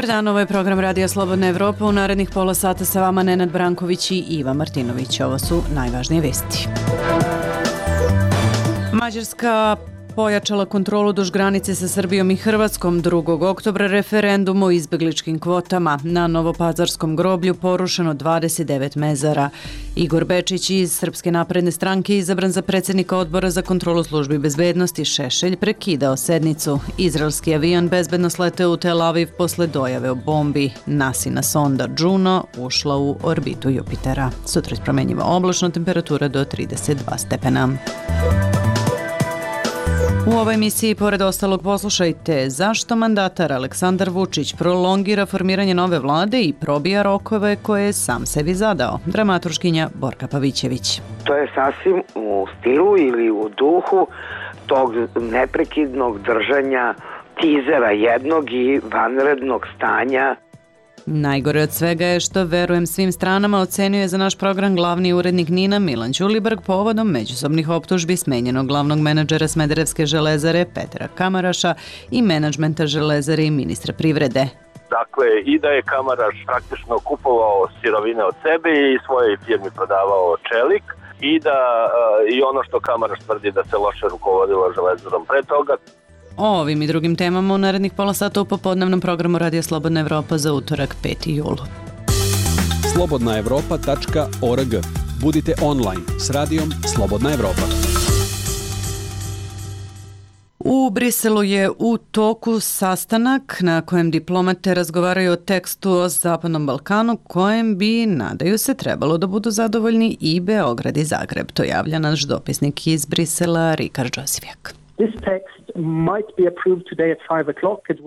Dobar dan, ovo je program Radija Slobodna Evropa. U narednih pola sata sa vama Nenad Branković i Iva Martinović. Ovo su najvažnije vesti. Mađarska pojačala kontrolu duž granice sa Srbijom i Hrvatskom. 2. oktobra referendum o izbegličkim kvotama. Na Novopazarskom groblju porušeno 29 mezara. Igor Bečić iz Srpske napredne stranke izabran za predsjednika odbora za kontrolu službi bezbednosti. Šešelj prekidao sednicu. Izraelski avion bezbedno sleteo u Tel Aviv posle dojave o bombi. NASIna sonda Juno ušla u orbitu Jupitera. Sutra promenjiva oblačno, temperatura do 32 stepena. U ovoj emisiji, pored ostalog, poslušajte zašto mandatar Aleksandar Vučić prolongira formiranje nove vlade i probija rokove koje je sam sebi zadao. Dramaturškinja Borka Pavićević. To je sasvim u stilu ili u duhu tog neprekidnog držanja tizera jednog i vanrednog stanja. Najgore od svega je što, verujem svim stranama, ocenjuje za naš program glavni urednik NIN-a Milan Ćulibrk povodom međusobnih optužbi smenjenog glavnog menadžera Smederevske železare Petra Kamaraša i menadžmenta železare i ministra privrede. Dakle, i da je Kamaraš praktično kupovao sirovine od sebe i svojoj firmi prodavao čelik i da i ono što Kamaraš tvrdi da se loše rukovodilo železarom pre toga. O ovim i drugim temama u narednih pola sata u popodnevnom programu Radija Slobodna Evropa za utorak 5. jul. slobodnaevropa.org. Budite online s radijom Slobodna Evropa. U Briselu je u toku sastanak na kojem diplomate razgovaraju o tekstu o Zapadnom Balkanu kojem bi, nadaju se, trebalo da budu zadovoljni i Beograd i Zagreb. To javlja naš dopisnik iz Brisela, Rikard Đosivjak.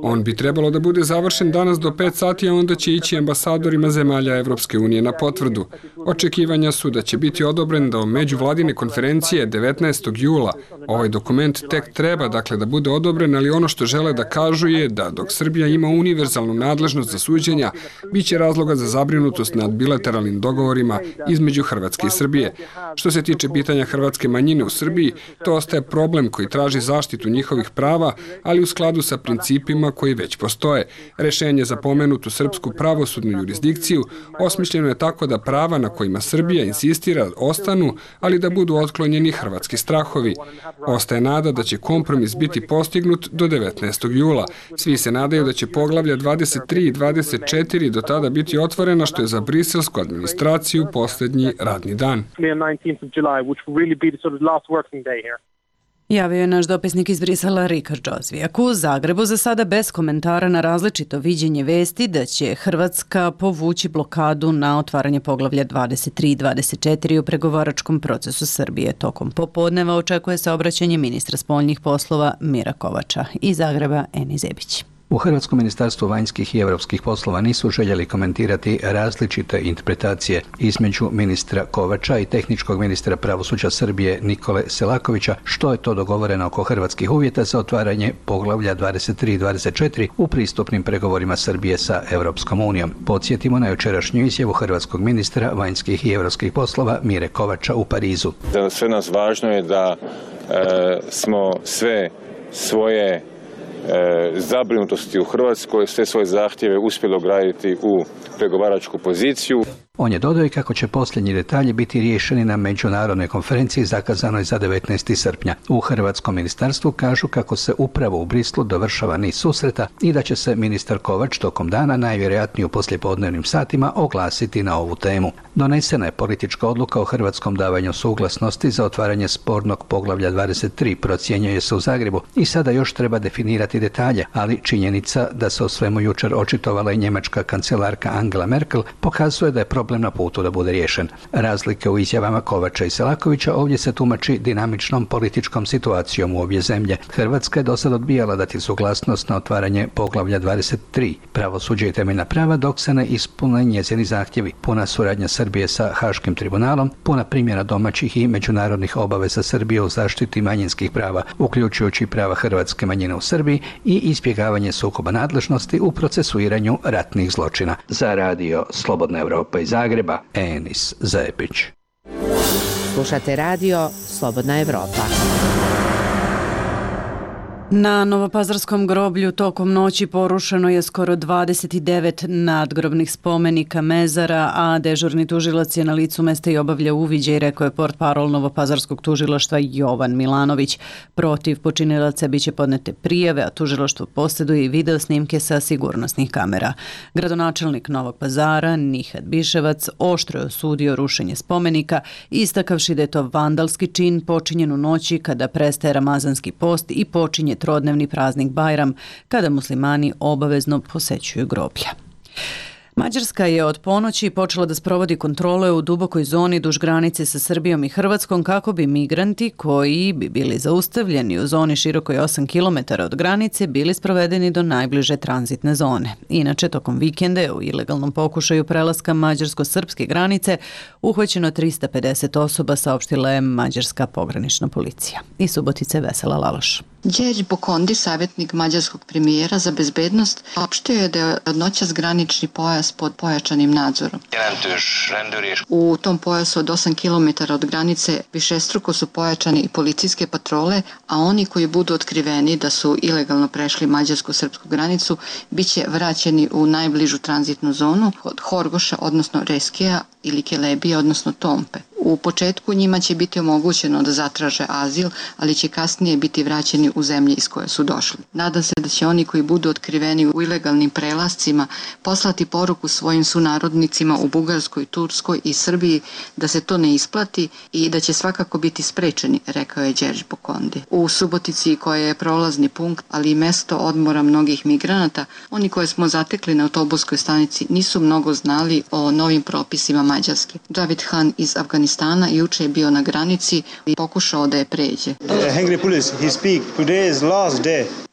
On bi trebalo da bude završen danas do 5 sati, a onda će ići ambasadorima zemalja Evropske unije na potvrdu. Očekivanja su da će biti odobren do međuvladine konferencije 19. jula. Ovaj dokument tek treba, da bude odobren, ali ono što žele da kažu je da dok Srbija ima univerzalnu nadležnost za suđenja, bit će razloga za zabrinutost nad bilateralnim dogovorima između Hrvatske i Srbije. Što se tiče pitanja hrvatske manjine u Srbiji, to ostaje problem koji traži zaštitu njihovih prava, ali u skladu sa principima koji već postoje. Rešenje za pomenutu srpsku pravosudnu jurisdikciju osmišljeno je tako da prava na kojima Srbija insistira ostanu, ali da budu otklonjeni hrvatski strahovi. Ostaje nada da će kompromis biti postignut do 19. jula. Svi se nadaju da će poglavlja 23 i 24 do tada biti otvorena, što je za briselsku administraciju posljednji radni dan. Javio je naš dopisnik iz Brisela Rikard Đosivjak. U Zagrebu za sada bez komentara na različito viđenje vesti da će Hrvatska povući blokadu na otvaranje poglavlja 23 i 24 u pregovaračkom procesu Srbije. Tokom popodneva očekuje se obraćanje ministra spoljnih poslova Mira Kovača. Iz Zagreba Eni Zebić. U Hrvatskom ministarstvu vanjskih i europskih poslova nisu željeli komentirati različite interpretacije između ministra Kovača i tehničkog ministra pravosuđa Srbije Nikole Selakovića, što je to dogovoreno oko hrvatskih uvjeta za otvaranje poglavlja 23 i 24 u pristupnim pregovorima Srbije sa Europskom unijom. Podsjetimo na jučerašnju izjavu hrvatskog ministra vanjskih i europskih poslova Mire Kovača u Parizu. Za sve nas važno je da smo sve svoje zabrinutosti u Hrvatskoj, sve svoje zahtjeve uspjeli ograditi u pregovaračku poziciju. On je dodao i kako će posljednji detalji biti riješeni na međunarodnoj konferenciji zakazanoj za 19. srpnja. U Hrvatskom ministarstvu kažu kako se upravo u Brislu dovršava niz susreta i da će se ministar Kovač tokom dana, najvjerojatnije u poslijepodnevnim satima, oglasiti na ovu temu. Donesena je politička odluka o hrvatskom davanju suglasnosti za otvaranje spornog poglavlja 23, procjenjuje se u Zagrebu, i sada još treba definirati detalje, ali činjenica da se o svemu jučer očitovala i njemačka kancelarka Angela Merkel pokazuje da je problem na putu da bude riješen. Razlike u izjavama Kovača i Selakovića ovdje se tumači dinamičnom političkom situacijom u obje zemlje. Hrvatska je do sad odbijala dati suglasnost na otvaranje poglavlja 23, pravosuđe i temeljna prava, dok se ne ispune njezini zahtjevi. Puna suradnja Srbije sa Haškim tribunalom, puna primjena domaćih i međunarodnih obaveza Srbije u zaštiti manjinskih prava, uključujući prava hrvatske manjine u Srbiji, i izbjegavanje sukoba nadležnosti u procesuiranju ratnih zločina. Za radio Slobodna Evropa iz Zagreba, Enis Zepić. Slušate radio Slobodna Evropa. Na Novopazarskom groblju tokom noći porušeno je skoro 29 nadgrobnih spomenika mezara, a dežurni tužilac je na licu mesta i obavlja uviđaj, rekao je portparol Novopazarskog tužilaštva Jovan Milanović. Protiv počinilaca biće podnete prijave, a tužilaštvo posjeduje i video snimke sa sigurnosnih kamera. Gradonačelnik Novog Pazara, Nihat Biševac, oštro je osudio rušenje spomenika, istakavši da je to vandalski čin počinjen u noći kada prestaje ramazanski post i počinje trodnevni praznik Bajram, kada muslimani obavezno posećuju groblja. Mađarska je od ponoći počela da sprovodi kontrole u dubokoj zoni duž granice sa Srbijom i Hrvatskom kako bi migranti koji bi bili zaustavljeni u zoni širokoj 8 km od granice bili sprovedeni do najbliže tranzitne zone. Inače, tokom vikende u ilegalnom pokušaju prelaska mađarsko-srpske granice uhvaćeno 350 osoba, saopštila je mađarska pogranična policija. Iz Subotice Vesela Laloš. Đerđ Bokondi, savjetnik mađarskog premijera za bezbednost, opštio je da je od noćas granični pojas pod pojačanim nadzorom. U tom pojasu od 8 km od granice višestruko su pojačane i policijske patrole, a oni koji budu otkriveni da su ilegalno prešli mađarsko-srpsku granicu biće vraćeni u najbližu tranzitnu zonu od Horgoša, odnosno Reskija, ili Kelebije, odnosno Tompe. U početku njima će biti omogućeno da zatraže azil, ali će kasnije biti vraćeni u zemlje iz koje su došli. Nadam se da će oni koji budu otkriveni u ilegalnim prelascima poslati poruku svojim sunarodnicima u Bugarskoj, Turskoj i Srbiji da se to ne isplati i da će svakako biti sprečeni, rekao je Đerđ Bokondi. U Subotici, koja je prolazni punkt, ali i mesto odmora mnogih migranata, oni koje smo zatekli na autobuskoj stanici nisu mnogo znali o novim propisima Mađarske. David Han iz Afganistana juče je bio na granici i pokušao da je pređe.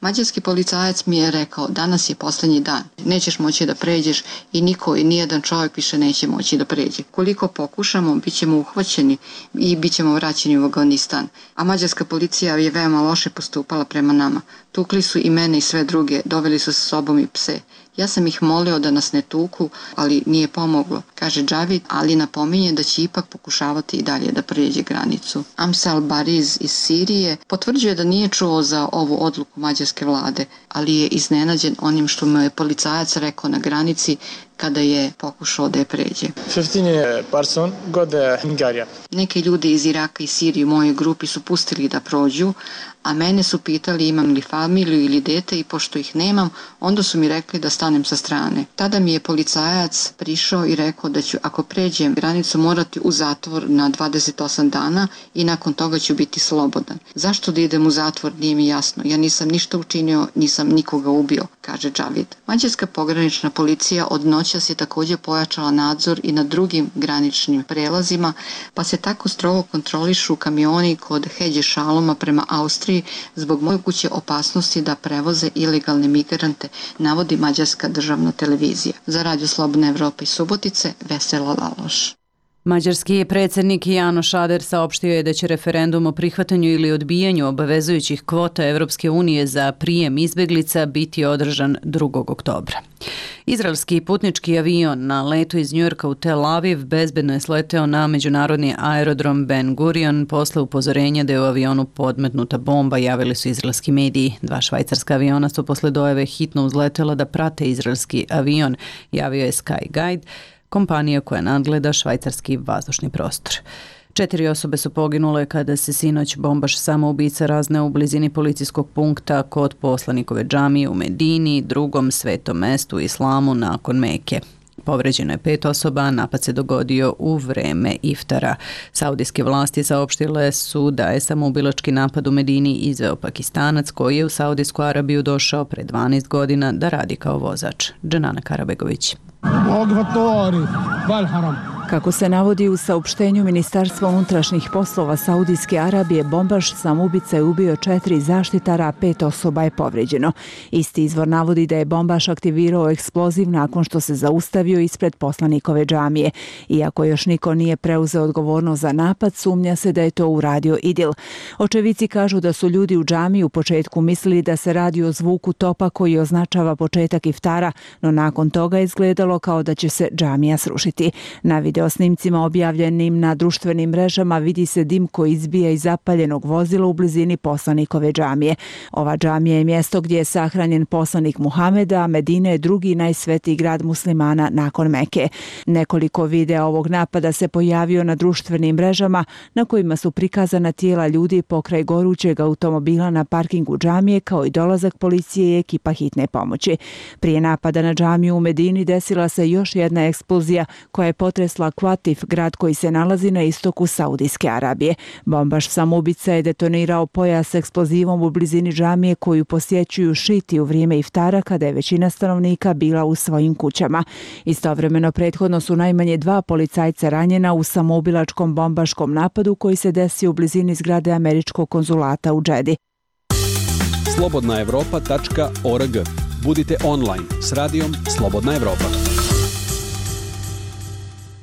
Mađarski policajac mi je rekao, danas je posljednji dan, nećeš moći da pređeš i niko i nijedan čovjek više neće moći da pređe. Koliko pokušamo, bit ćemo uhvaćeni i bit ćemo vraćeni u Afganistan. A mađarska policija je veoma loše postupala prema nama. Tukli su i mene i sve druge, doveli su sa sobom i pse. Ja sam ih molio da nas ne tuku, ali nije pomoglo, kaže Džavid, ali napominje da će ipak pokušavati i dalje da prijeđe granicu. Amsal Bariz iz Sirije potvrđuje da nije čuo za ovu odluku mađarske vlade, ali je iznenađen onim što mu je policajac rekao na granici kada je pokušao da je pređe. 15 person go to Hungary. Neki ljudi iz Iraka i Sirije u mojoj grupi su pustili da prođu, a mene su pitali imam li familiju ili dete i pošto ih nemam, onda su mi rekli da stanem sa strane. Tada mi je policajac prišao i rekao da ću ako pređem granicu morati u zatvor na 28 dana i nakon toga ću biti slobodan. Zašto da idem u zatvor nije mi jasno. Ja nisam ništa učinio, nisam nikoga ubio, kaže Džavid. Mađarska pogranična policija od noćas je također pojačala nadzor i na drugim graničnim prelazima, pa se tako strogo kontrolišu kamioni kod Hedje Šaloma prema Austriji zbog moguće opasnosti da prevoze ilegalne migrante, navodi mađarska državna televizija. Za Radio Slobodna Evropa iz Subotice, Vesela Laloš. Mađarski predsjednik Janoš Ader saopštio je da će referendum o prihvatanju ili odbijanju obavezujućih kvota Evropske unije za prijem izbeglica biti održan 2. oktobra. Izraelski putnički avion na letu iz Njujorka u Tel Aviv bezbedno je sleteo na međunarodni aerodrom Ben Gurion posle upozorenja da je u avionu podmetnuta bomba, javili su izraelski mediji. 2 švajcarska aviona su posle dojave hitno uzletela da prate izraelski avion, javio je Sky Guide, kompanija koja nadgleda švajcarski vazdušni prostor. 4 osobe su poginule kada se sinoć bombaš samoubica razneo u blizini policijskog punkta kod poslanikove džamije u Medini, drugom svetom mestu u islamu nakon Meke. Povređeno je 5 osoba, a napad se dogodio u vreme iftara. Saudijske vlasti saopštile su da je samoubilački napad u Medini izveo Pakistanac koji je u Saudijsku Arabiju došao pre 12 godina da radi kao vozač. Dženana Karabegović. Kako se navodi u saopštenju Ministarstva unutrašnjih poslova Saudijske Arabije, bombaš samoubica je ubio 4 zaštitara, a 5 osoba je povređeno. Isti izvor navodi da je bombaš aktivirao eksploziv nakon što se zaustavio ispred poslanikove džamije. Iako još niko nije preuzeo odgovornost za napad, sumnja se da je to uradio Idil. Očevici kažu da su ljudi u džamiji u početku mislili da se radi o zvuku topa koji označava početak iftara, no nakon toga je izgledalo kao da će se džamija srušiti. Na videu video snimcima objavljenim na društvenim mrežama vidi se dim koji izbija iz zapaljenog vozila u blizini poslanikove džamije. Ova džamija je mjesto gdje je sahranjen poslanik Muhameda, a Medina je drugi najsvetiji grad muslimana nakon Meke. Nekoliko videa ovog napada se pojavio na društvenim mrežama na kojima su prikazana tijela ljudi pokraj gorućeg automobila na parkingu džamije kao i dolazak policije i ekipa hitne pomoći. Prije napada na džamiju u Medini desila se još jedna eksplozija koja je potresla Qatif, grad koji se nalazi na istoku Saudijske Arabije. Bombaš samoubica je detonirao pojas eksplozivom u blizini džamije koju posjećuju šiti u vrijeme iftara kada je većina stanovnika bila u svojim kućama. Istovremeno prethodno su najmanje 2 policajca ranjena u samoubilačkom bombaškom napadu koji se desio u blizini zgrade američkog konzulata u Džedi. slobodnaevropa.org. Budite online s radijom Slobodna Evropa.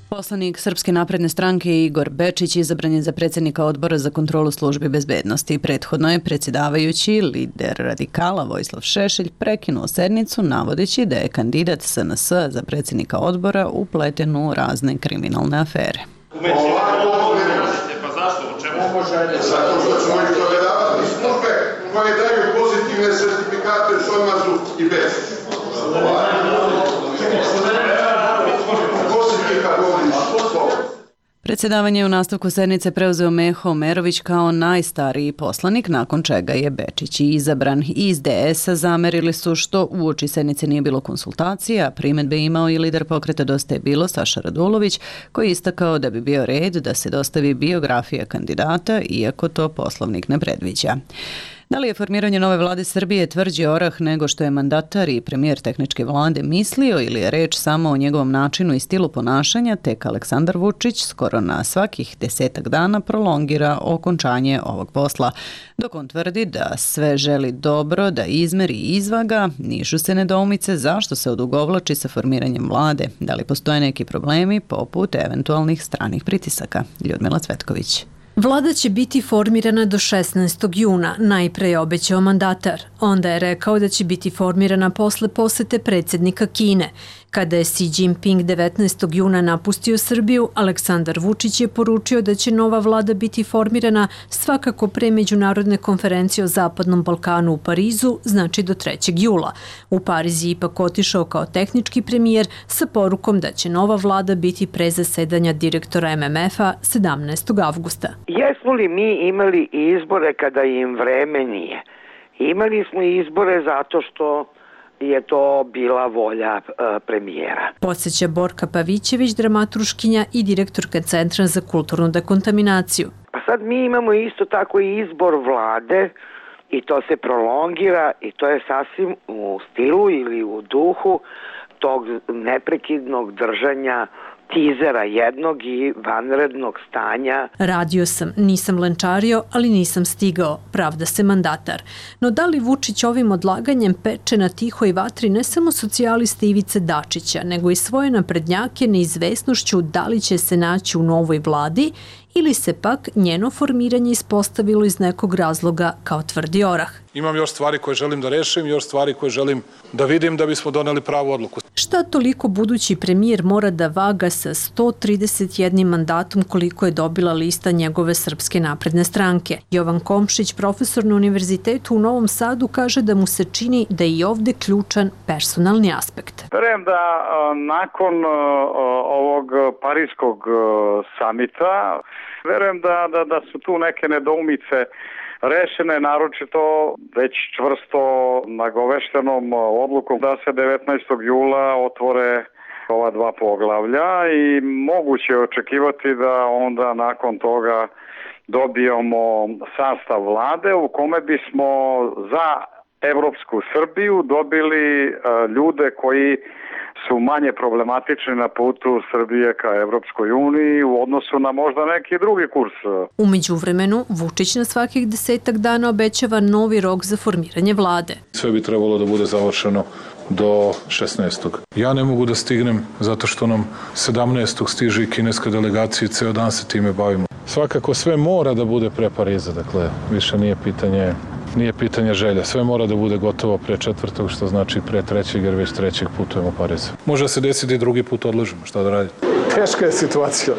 Poslanik Srpske napredne stranke Igor Bečić izabran je za predsjednika Odbora za kontrolu službi bezbednosti. Prethodno je predsjedavajući lider radikala Vojislav Šešelj prekinuo sednicu navodeći da je kandidat SNS za predsjednika odbora upleten u razne kriminalne afere. Pa zašto? U čemu? Zato što ćemo ih toleravati službe koje daju pozitivne sertifikate SOMAZ-u i bez. Predsjedavanje u nastavku sednice preuzeo Meho Omerović kao najstariji poslanik, nakon čega je Bečić izabran. Iz DS-a zamerili su što uoči sednice nije bilo konsultacija, primjedbe imao i lider pokreta Dosta je bilo Saša Radulović, koji je istakao da bi bio red da se dostavi biografija kandidata, iako to poslovnik ne predviđa. Da li je formiranje nove vlade Srbije tvrđi orah nego što je mandatar i premijer tehničke vlade mislio ili je reč samo o njegovom načinu i stilu ponašanja, tek Aleksandar Vučić skoro na svakih 10 dana prolongira okončanje ovog posla. Dok on tvrdi da sve želi dobro, da izmeri i izvaga, nižu se nedoumice zašto se odugovlači sa formiranjem vlade. Da li postoje neki problemi poput eventualnih stranih pritisaka? Ljudmila Cvetković. Vlada će biti formirana do 16. juna, najpre je obećao mandatar. Onda je rekao da će biti formirana posle posete predsjednika Kine. Kada je Xi Jinping 19. juna napustio Srbiju, Aleksandar Vučić je poručio da će nova vlada biti formirana svakako pre međunarodne konferencije o Zapadnom Balkanu u Parizu, znači do 3. jula. U Pariz je ipak otišao kao tehnički premijer sa porukom da će nova vlada biti pre zasedanja direktora MMF-a 17. avgusta. Jesmo li mi imali izbore kada im vreme nije? Imali smo izbore zato što je to bila volja premijera. Podsjeća Borka Pavićević, dramaturškinja i direktorka Centra za kulturnu dekontaminaciju. Pa sad mi imamo isto tako i izbor vlade i to se prolongira i to je sasvim u stilu ili u duhu tog neprekidnog držanja tizera jednog i vanrednog stanja. Radio sam, nisam lenčario, ali nisam stigao, pravda se mandatar. No da li Vučić ovim odlaganjem peče na tihoj vatri ne samo socijaliste Ivice Dačića, nego i svoje naprednjake neizvesnošću da li će se naći u novoj vladi ili se pak njeno formiranje ispostavilo iz nekog razloga kao tvrdi orah. Imam još stvari koje želim da rešim, još stvari koje želim da vidim da bismo doneli pravu odluku. Šta toliko budući premijer mora da vaga sa 131 mandatom koliko je dobila lista njegove Srpske napredne stranke? Jovan Komšić, profesor na Univerzitetu u Novom Sadu, kaže da mu se čini da je i ovde ključan personalni aspekt. Verujem da nakon ovog parijskog samita, verujem da su tu neke nedoumice rešene, naročito već čvrsto nagoveštenom odlukom da se 19. jula otvore ova 2 poglavlja i moguće je očekivati da onda nakon toga dobijemo sastav vlade u kome bismo za Evropsku Srbiju dobili ljude koji su manje problematični na putu Srbije ka Evropskoj uniji u odnosu na možda neki drugi kurs. U međuvremenu, Vučić na svakih 10 dana obećava novi rok za formiranje vlade. Sve bi trebalo da bude završeno do 16. Ja ne mogu da stignem zato što nam 17. stiže i kineska delegacija i ceo dan se time bavimo. Svakako sve mora da bude pre Pariza, dakle, više nije pitanje nije pitanje želja. Sve mora da bude gotovo pre 4. što znači pre 3. jer već 3. putujemo u Pariz. Može se desiti i drugi put odložimo, šta da radite? Teška je situacija.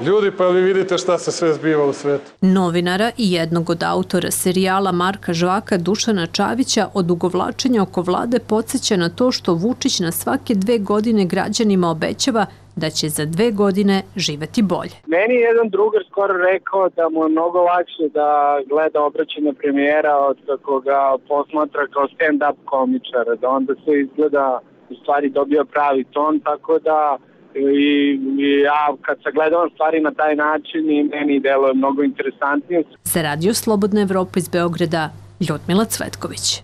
Ljudi, pa vi vidite šta se sve zbiva u svetu. Novinara i jednog od autora serijala Marka Žvaka Dušana Čavića odugovlačenje oko vlade podsjeća na to što Vučić na svake 2 godine građanima obećava da će za 2 godine živeti bolje. Meni je jedan drugar skoro rekao da mu je mnogo lakše da gleda obraćanje premijera od kako ga posmatra kao stand-up komičara, da onda se izgleda u stvari dobio pravi ton, tako da i ja kad sagledavam stvari na taj način i meni deluje mnogo interesantnije. Za Radio Slobodna Evropa iz Beograda, Ljudmila Cvetković.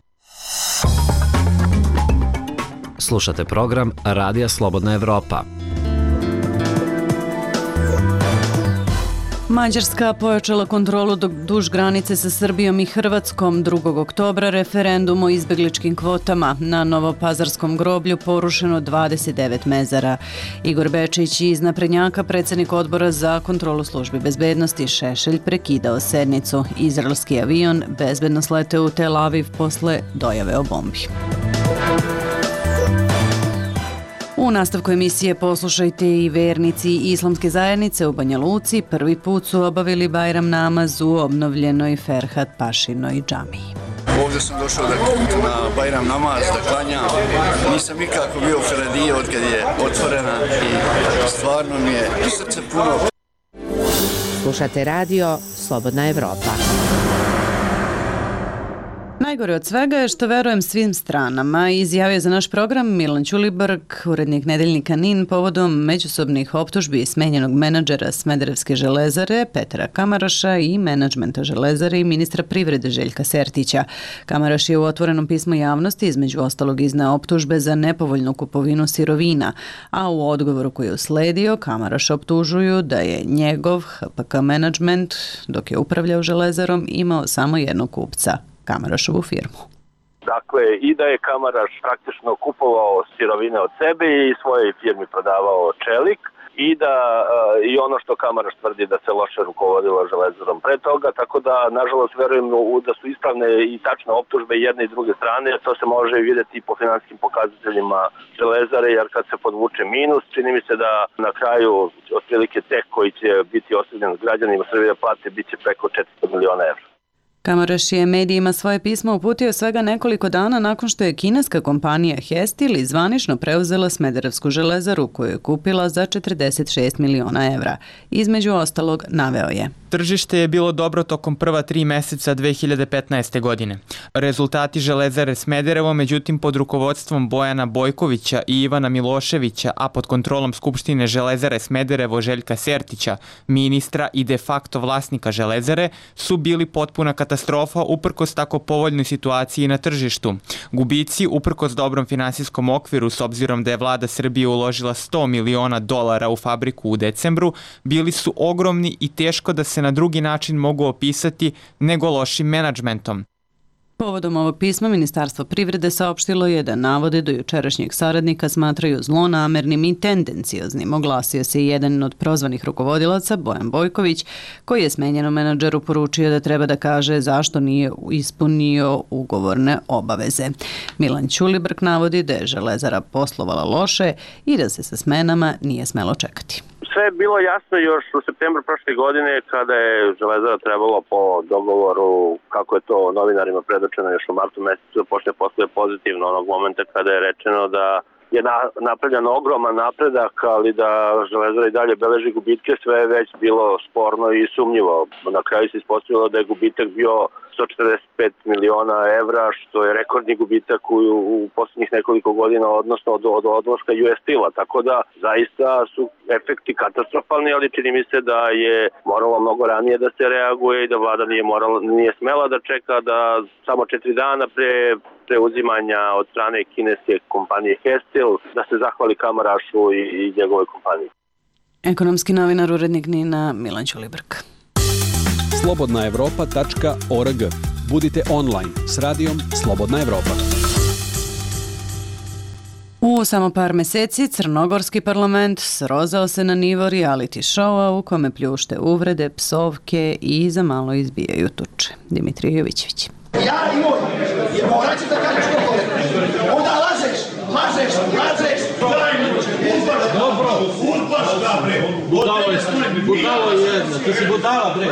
Slušate program Radija Slobodna Evropa. Mađarska pojačala kontrolu duž granice sa Srbijom i Hrvatskom. 2. oktobra referendum o izbegličkim kvotama. Na Novopazarskom groblju porušeno 29 mezara. Igor Bečić iz naprednjaka, predsjednik odbora za kontrolu službi bezbednosti Šešelj, prekidao sednicu. Izraelski avion bezbedno sleteo u Tel Aviv posle dojave o bombi. U nastavku emisije poslušajte i vernici Islamske zajednice u Banja Luci prvi put su obavili Bajram namaz u obnovljenoj Ferhat Pašinoj džamiji. Ovdje sam došao na Bajram namaz da klanjam. Nisam nikako bio u Feradije od kad je otvorena i stvarno mi je srce puno. Slušate radio Slobodna Evropa. Najgore od svega je što verujem svim stranama, izjavio za naš program Milan Ćulibrk, urednik nedeljnika NIN, povodom međusobnih optužbi smenjenog menadžera Smederevske železare Petra Kamaraša i menadžmenta železare i ministra privrede Željka Sertića. Kamaraš je u otvorenom pismu javnosti između ostalog izneo optužbe za nepovoljnu kupovinu sirovina, a u odgovoru koji je usledio Kamaraš optužuju da je njegov HPK menadžment, dok je upravljao železarom, imao samo jednog kupca, Kamarašovu firmu. Dakle, i da je Kamaraš praktično kupovao sirovine od sebe i svojoj firmi prodavao čelik i da i ono što Kamaraš tvrdi da se loše rukovodilo železarom pre toga, tako da nažalost verujem da su ispravne i tačne optužbe jedne i druge strane, to se može vidjeti i po finanskim pokazateljima železare, jer kad se podvuče minus, čini mi se da na kraju otprilike tek koji će biti ostavljen građanima Srbije plate bit će preko 400 miliona evra. Kamaraš je medijima svoje pismo uputio svega nekoliko dana nakon što je kineska kompanija Hestil zvanično preuzela Smederevsku železaru koju je kupila za 46 miliona evra. Između ostalog naveo je: Tržište je bilo dobro tokom prva 3 meseca 2015. godine. Rezultati železare Smederevo, međutim pod rukovodstvom Bojana Bojkovića i Ivana Miloševića, a pod kontrolom Skupštine železare Smederevo Željka Sertića, ministra i de facto vlasnika železare, su bili potpuna katastrofa uprkos tako povoljnoj situaciji na tržištu. Gubici, uprkos dobrom finansijskom okviru, s obzirom da je vlada Srbije uložila $100 miliona u fabriku u decembru, bili su ogromni i teško da se na drugi način mogu opisati nego lošim menadžmentom. Povodom ovog pisma Ministarstvo privrede saopštilo je da navode do jučerašnjeg saradnika smatraju zlonamernim i tendencioznim. Oglasio se i jedan od prozvanih rukovodilaca, Bojan Bojković, koji je smenjenom menadžeru poručio da treba da kaže zašto nije ispunio ugovorne obaveze. Milan Ćulibrk navodi da je železara poslovala loše i da se sa smenama nije smelo čekati. Sve je bilo jasno još u septembru prošle godine kada je železara trebalo po dogovoru, kako je to novinarima predočeno još u martu mesecu, da počne posluje pozitivno onog momenta kada je rečeno da je napravljen ogroman napredak, ali da železara i dalje beleži gubitke, sve je već bilo sporno i sumnjivo. Na kraju se ispostavilo da je gubitak bio 145 miliona evra, što je rekordni gubitak u posljednjih nekoliko godina, odnosno od odlaska US Steel-a. Tako da zaista su efekti katastrofalni, ali čini mi se da je moralo mnogo ranije da se reaguje i da vlada nije smela da čeka da samo 4 dana pre preuzimanja od strane kineske kompanije Hestil da se zahvali Kamarašu i njegovoj kompaniji. Ekonomski novinar, urednik NIN-a Milan Ćulibrk. slobodnaevropa.org. Budite online s radijom Slobodna Evropa. U samo par meseci crnogorski parlament srozao se na nivo reality showa u kome pljušte uvrede, psovke i za malo izbijaju tuče. Dimitrije Jovićević. Ja i moj, morat ćeš da kažeš što kolega. Onda lažeš, daj mi, urbaš da bre. Budalo jedna, ti si budala bre.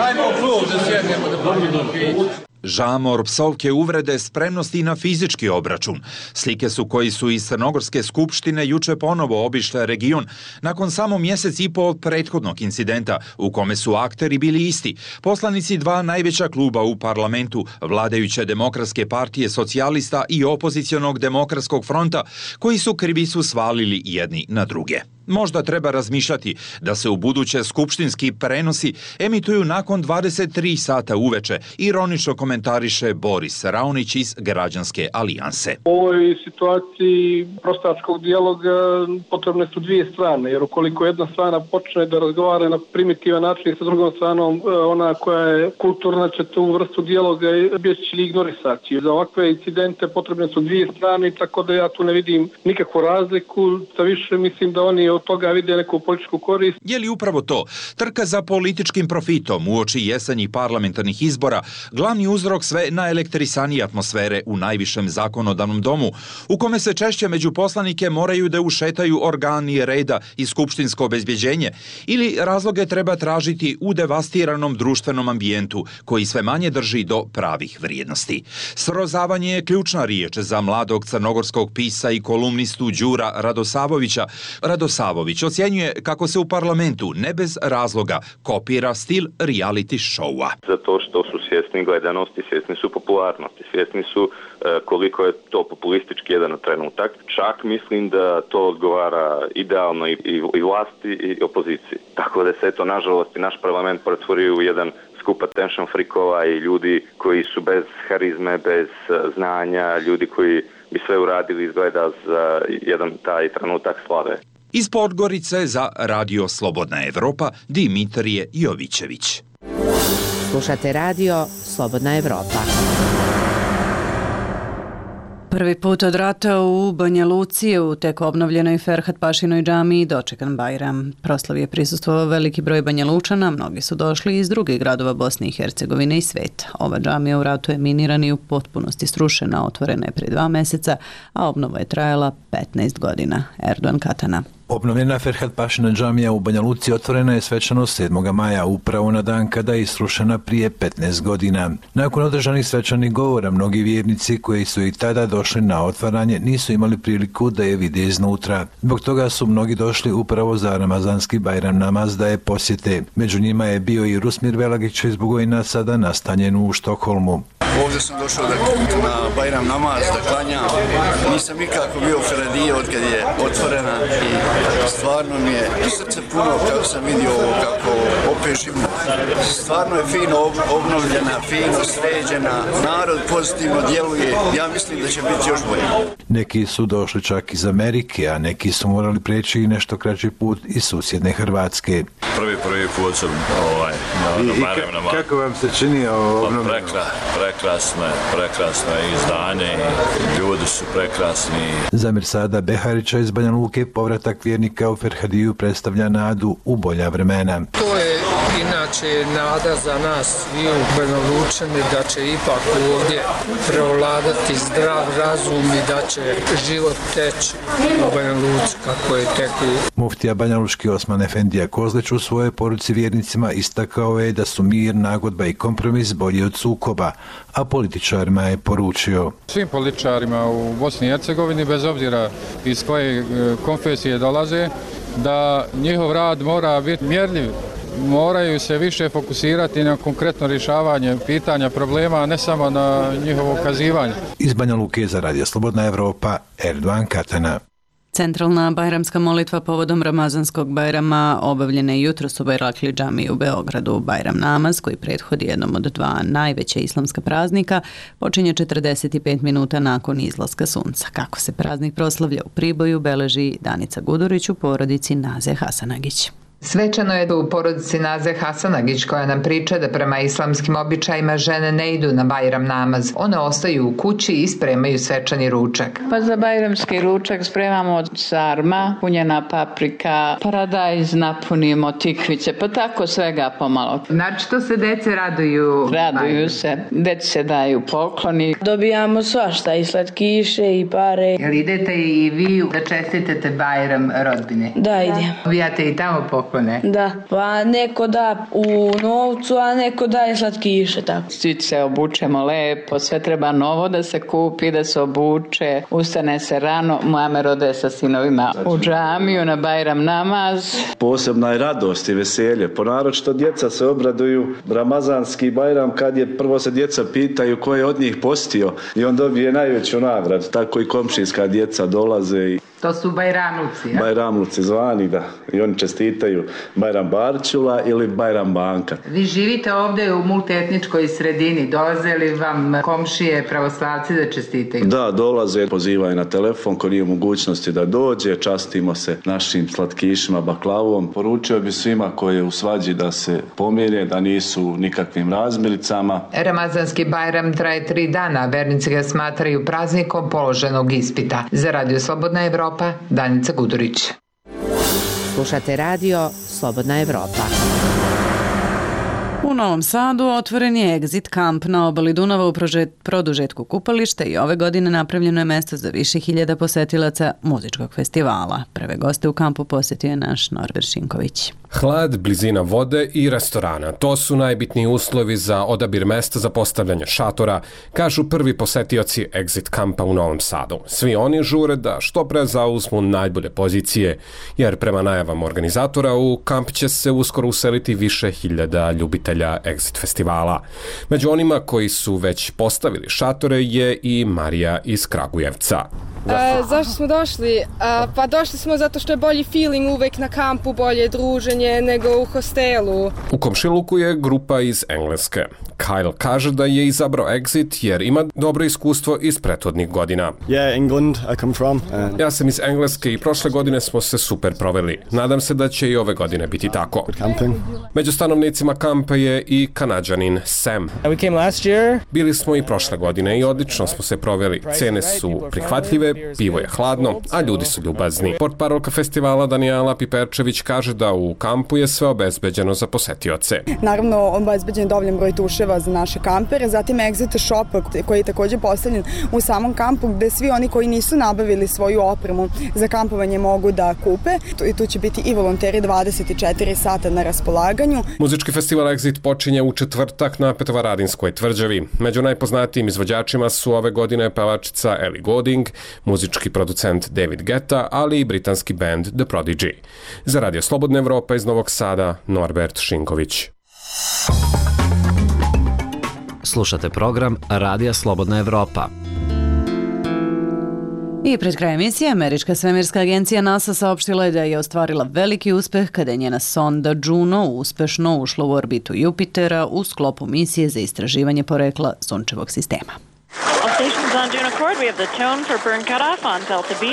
Ajmo u klub da sjednemo da popijemo piće. Žamor, psovke, uvrede, spremnost i na fizički obračun. Slike su koji su iz Crnogorske skupštine juče ponovo obišle region nakon samo mjesec i po od prethodnog incidenta u kome su akteri bili isti. Poslanici dva najveća kluba u parlamentu, vladajuće Demokratske partije socijalista i opozicionog Demokratskog fronta, koji su krivicu svalili jedni na druge. Možda treba razmišljati da se u buduće skupštinski prenosi emituju nakon 23 sata uveče, ironično komentariše Boris Raonić iz Građanske alijanse. U ovoj situaciji prostačkog dijaloga potrebne su dvije strane, jer ukoliko jedna strana počne da razgovara na primitivan način sa drugom stranom, ona koja je kulturna će tu vrstu dijaloga bjeći ili ignorisati. Za ovakve incidente potrebne su dvije strane, tako da ja tu ne vidim nikakvu razliku, sa više mislim da oni od toga vide neku političku korist. Je li upravo to, trka za političkim profitom uoči jesenjih parlamentarnih izbora, glavni uzrok sve naelektrisanije atmosfere u najvišem zakonodavnom domu, u kome se češće među poslanike moraju da ušetaju organi reda i skupštinsko obezbjeđenje, ili razloge treba tražiti u devastiranom društvenom ambijentu koji sve manje drži do pravih vrijednosti. Srozavanje je ključna riječ za mladog crnogorskog pisa i kolumnistu Đura Radosavovića. Radosavović ocjenjuje kako se u parlamentu ne bez razloga kopira stil reality showa. Zato što su svjesni gledanosti, svjesni su popularnosti, svjesni su koliko je to populistički jedan trenutak. Čak mislim da to odgovara idealno i vlasti i opoziciji. Tako da se to nažalost i naš parlament pretvorio u jedan skup attention freakova i ljudi koji su bez harizme, bez znanja, ljudi koji bi sve uradili izgleda za jedan taj trenutak slave. Iz Podgorice za Radio Slobodna Evropa, Dimitrije Jovićević. Slušate Radio Slobodna Evropa. Prvi put od rata u Banja Luci u tek obnovljenoj Ferhat Pašinoj džamiji dočekan Bajram. Proslavi je prisustvovao veliki broj Banja Lučana, mnogi su došli iz drugih gradova Bosne i Hercegovine i sveta. Ova džamija u ratu je minirana i u potpunosti srušena, otvorena je prije 2 meseca, a obnova je trajala 15 godina. Erdogan Katana. Obnovljena Ferhat Pašina džamija u Banja Luci otvorena je svečano 7. maja, upravo na dan kada je srušena prije 15 godina. Nakon održanih svečanih govora, mnogi vjernici koji su i tada došli na otvaranje nisu imali priliku da je vide iznutra. Zbog toga su mnogi došli upravo za ramazanski Bajram namaz da je posjete. Među njima je bio i Rusmir Velagić iz Bugojna, sada nastanjen u Štokholmu. Ovdje sam došao na Bajram namaz da klanjam. Nisam nikako bio u Feradije od kad je otvorena i stvarno mi je srce puno kako sam vidio ovo, kako opet živno. Stvarno je fino obnovljena, fino sređena, narod pozitivno djeluje. Ja mislim da će biti još bolje. Neki su došli čak iz Amerike, a neki su morali preći i nešto kraći put iz susjedne Hrvatske. Prvi put sam na Bajram namaz. Kako vam se čini ovo obnovljeno? Prekrasno izdanje, ljudi su prekrasni. Za Mirsada Beharića iz Banja Luke povratak vjernika u Ferhadiju predstavlja nadu u bolja vremena. To je inače nada za nas i u Banja Lučani da će ipak ovdje prevladati zdrav razum i da će život teći u Banja Luci kako je tekao. Muftija Banja Lučki Osman Efendija Kozlić u svojoj poruci vjernicima istakao je da su mir, nagodba i kompromis bolji od sukoba, a političarima je poručio. Svim političarima u Bosni i Hercegovini, bez obzira iz koje konfesije dolaze, da njihov rad mora biti mjerljiv. Moraju se više fokusirati na konkretno rješavanje pitanja, problema, a ne samo na njihovo ukazivanje. Iz Banja Luke za Radio Slobodna Evropa, Erdogan Katana. Centralna bajramska molitva povodom Ramazanskog Bajrama obavljena je jutros u Bajrakli džamiji u Beogradu. Bajram namaz, koji prethodi jednom od 2 najveća islamska praznika, počinje 45 minuta nakon izlaska sunca. Kako se praznik proslavlja u Priboju, beleži Danica Gudurić u porodici Naze Hasanagić. Svečano je u porodici Naze Hasanagić koja nam priča da prema islamskim običajima žene ne idu na Bajram namaz. One ostaju u kući i spremaju svečani ručak. Pa za bajramski ručak spremamo sarma, punjena paprika, paradajz, napunimo tikvice, pa tako svega pomalo. Znači to se dece raduju? Raduju se, deci se daju pokloni. Dobijamo svašta, i slatkiše i pare. Jel idete i vi da čestitete Bajram rodbine? Da, idem. Dobijate i tamo poklone? Da, pa neko da u novcu, a neko daje slatkiše, tako. Svi se obučemo lepo, sve treba novo da se kupi, da se obuče, ustane se rano, moja rode sa sinovima u džamiju na Bajram namaz. Posebna je radost i veselje, ponaročito djeca se obraduju Ramazanski Bajram kad je prvo se djeca pitaju ko je od njih postio i on dobije najveću nagradu, tako i komšijska djeca dolaze i to su Bajramluci, ja? Bajramluci zvani, da. I oni čestitaju Bajram Barčula ili Bajram Banka. Vi živite ovdje u multietničkoj sredini. Dolaze li vam komšije pravoslavci da čestitaju? Da, dolaze, pozivaju na telefon ko nije u mogućnosti da dođe. Častimo se našim slatkišima, baklavom. Poručio bi svima koji je u svađi da se pomire, da nisu nikakvim razmiricama. Ramazanski Bajram traje 3 dana. Vernici ga smatraju praznikom položenog ispita. Za Radio Slobodna Evropa, Danica Gudurić. Slušate radio Slobodna Evropa. U Novom Sadu otvoren je Exit kamp na obali Dunava u produžetku kupališta i ove godine napravljeno je mesto za više hiljada posetilaca muzičkog festivala. Prve goste u kampu posjetio je naš Norbert Šinković. Hlad, blizina vode i restorana. To su najbitniji uslovi za odabir mesta za postavljanje šatora, kažu prvi posetioci Exit kampa u Novom Sadu. Svi oni žure da što pre zauzmu najbolje pozicije, jer prema najavama organizatora u kamp će se uskoro useliti više hiljada ljubitelja Exit festivala. Među onima koji su već postavili šatore je i Marija iz Kragujevca. Zašto smo došli? Pa došli smo zato što je bolji feeling uvek na kampu, bolje druženje nego u hostelu. U komšiluku je grupa iz Engleske. Kyle kaže da je izabrao Exit jer ima dobro iskustvo iz prethodnih godina. England, I come from. Ja sam iz Engleske i prošle godine smo se super proveli. Nadam se da će i ove godine biti tako. Među stanovnicima kampa je i Kanadžanin Sam. We came last year. Bili smo i prošle godine i odlično smo se proveli. Cene su prihvatljive, pivo je hladno, a ljudi su ljubazni. Portparolka festivala Danijela Piperčević kaže da u kampu je sve obezbeđeno za posetioce. Naravno, obezbeđen je dovoljan broj tuševa za naše kampere, zatim Exit shop koji je također postavljen u samom kampu gde svi oni koji nisu nabavili svoju opremu za kampovanje mogu da kupe. I tu će biti i volonteri 24 sata na raspolaganju. Muzički festival Exit počinje u četvrtak na Petrovaradinskoj tvrđavi. Među najpoznatijim izvođačima su ove godine pevačica Ellie Goulding, muzički producent David Guetta, ali i britanski band The Prodigy. Za Radio Slobodna Evropa iz Novog Sada, Norbert Šinković. Slušate program Radija Slobodna Evropa. I pred kraj emisije, američka svemirska agencija NASA saopštila je da je ostvarila veliki uspeh kada je njena sonda Juno uspešno ušla u orbitu Jupitera u sklopu misije za istraživanje porekla sunčevog sistema. All stations on Juno Accord, we have the tone for burn cutoff on Delta B.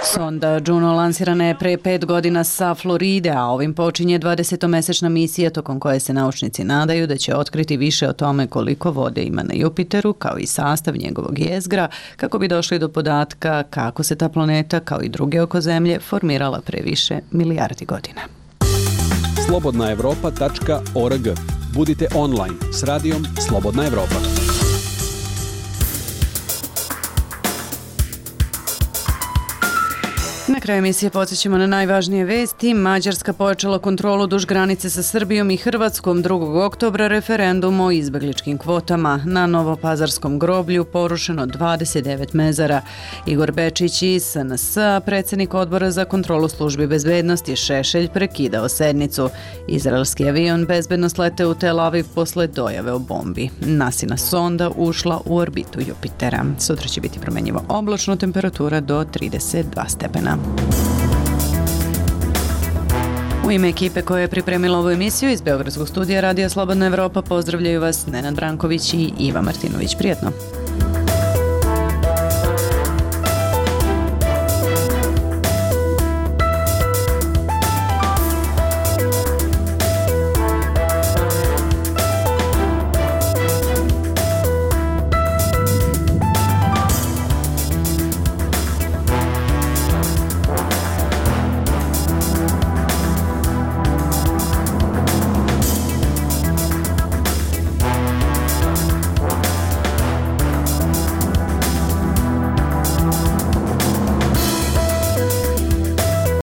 Sonda Juno lansirana je pre 5 godina sa Floride, a ovim počinje 20-mesečna misija tokom koje se naučnici nadaju da će otkriti više o tome koliko vode ima na Jupiteru, kao i sastav njegovog jezgra, kako bi došli do podatka kako se ta planeta, kao i druge oko Zemlje, formirala pre više milijardi godina. slobodnaevropa.org. Budite online s radijom Slobodna Evropa. Na kraju emisije podsjećamo na najvažnije vesti. Mađarska pojačala kontrolu duž granice sa Srbijom i Hrvatskom 2. oktobra referendum o izbegličkim kvotama. Na Novopazarskom groblju porušeno 29 mezara. Igor Bečić iz SNS, predsjednik odbora za kontrolu službi bezbednosti Šešelj, prekidao sednicu. Izraelski avion bezbedno slete u Tel Aviv posle dojave o bombi. NASIna sonda ušla u orbitu Jupitera. Sutra će biti promenjivo oblačno, temperatura do 32 stepena. U ime ekipe koja je pripremila ovu emisiju iz Beogradskog studija Radija Slobodna Evropa pozdravljaju vas Nenad Branković i Iva Martinović. Prijetno!